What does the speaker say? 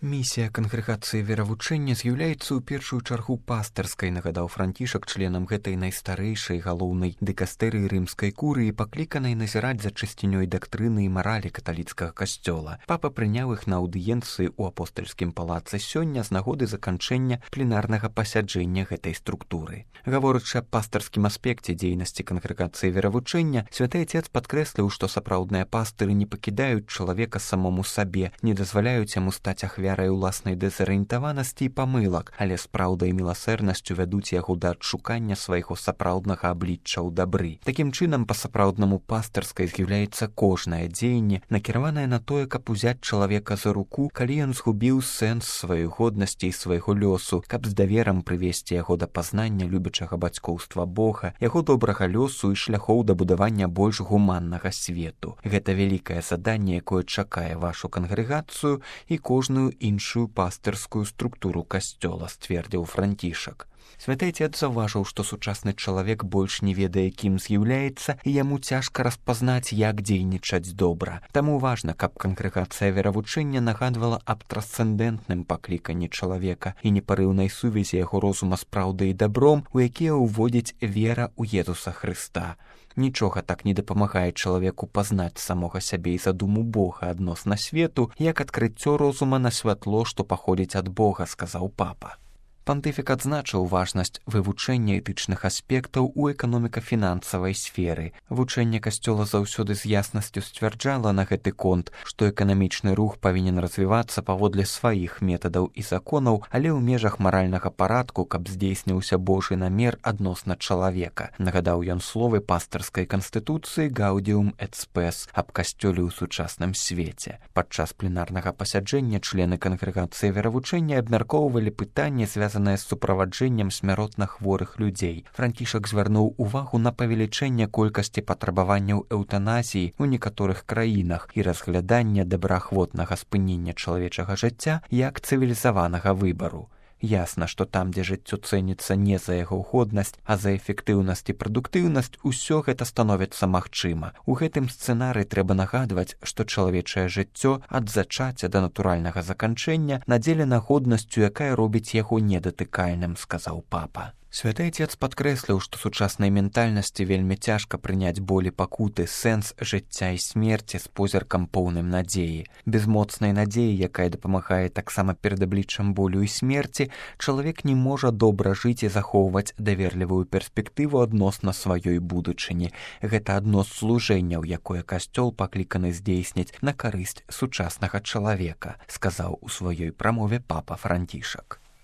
Місія кангрэгацыі веравучэння з'яўляецца ў першую чаргу пастырскай, нагадаў Францішак членам гэтай найстарэйшай галоўнай дыкастэрыі рымскай курыі, пакліканай назіраць за чысцінёй дактрыны і маралі каталіцкага касцёла. Папа прыняў іх на аўдыенцыі ў апостальскім палацы сёння з нагоды заканчэння пленарнага пасяджэння гэтай структуры. Гаворачы аб пастырскім аспекце дзейнасці кангрэгацыі веравучэння, святы Отец падкрэсліў, што сапраўдныя пастыры не пакідаюць чалавека самому сабе, не дазваляюць яму стаць ахвярай уласнай дэзарыентаванасці і памылак, але з праўдай і міласэрнасцю вядуць яго да адшукання свайго сапраўднага аблічча ў дабры. Такім чынам, па-сапраўднаму пастырскай з'яўляецца кожнае дзеянне, накіраванае на тое, каб узяць чалавека за руку, калі ён згубіў сэнс сваёй годнасці і свайго лёсу, каб з даверам прывесці яго да пазнання любячага бацькоўства Бога, яго добрага лёсу і шляхоў да будавання больш гуманнага свету. Гэта вялікае заданне, якое чакае вашу кангрэгацыю і кожную іншую пастырскую структуру касцёла, сцвердзіў Францішак. Святы Отец заўважыў, што сучасны чалавек больш не ведае, кім з'яўляецца, і яму цяжка распазнаць, як дзейнічаць добра. Таму важна, каб кангрэгацыя веравучэння нагадвала аб трансцэндэнтным пакліканні чалавека і непарыўнай сувязі яго розума з праўдай і дабром, у якія ўводзіць вера ў Езуса Хрыста. Нічога так не дапамагае чалавеку пазнаць самога сябе і задуму Бога адносна свету, як адкрыццё розума на святло, што паходзіць ад Бога, сказаў папа. Пантыфік адзначыў важнасць вывучэння этычных аспектаў у эканоміка-фінансавай сферы. Вучэнне касцёла заўсёды з яснасцю сцвярджала на гэты конт, што эканамічны рух павінен развівацца паводле сваіх метадаў і законаў, але ў межах маральнага парадку, каб здзейсніўся Божы намер адносна чалавека. Нагадаў ён словы пастырскай канстытуцыі «Гаўдіум эт спэс» аб касцёле ў сучасным свеце. Падчас пленарнага пасяджэння члены кангрэгацыі веравучэння абмяркоўвалі пытанні, звязаныя з суправаджэннем смяротна хворых людзей. Францішак звярнуў увагу на павелічэнне колькасці патрабаванняў эўтаназіі ў некаторых краінах і разглядання добраахвотнага спынення чалавечага жыцця як цывілізаванага выбару. Ясна, што там, дзе жыццё цэніцца не за яго годнасць, а за эфектыўнасць і прадуктыўнасць, усё гэта становіцца магчыма. У гэтым сцэнарыі трэба нагадваць, што чалавечае жыццё ад зачацця да натуральнага заканчэння надзелена годнасцю, якая робіць яго недатыкальным, сказаў папа. Святы Отец падкрэсліў, што сучаснай ментальнасці вельмі цяжка прыняць болі пакуты, сэнс жыцця і смерці з позіркам поўным надзеі. Без моцнай надзеі, якая дапамагае таксама перад абліччам болю і смерці, чалавек не можа добра жыць і захоўваць даверлівую перспектыву адносна сваёй будучыні. Гэта адно з служэнняў, якое касцёл пакліканы здзейсніць на карысць сучаснага чалавека, сказаў у сваёй прамове папа Францішак.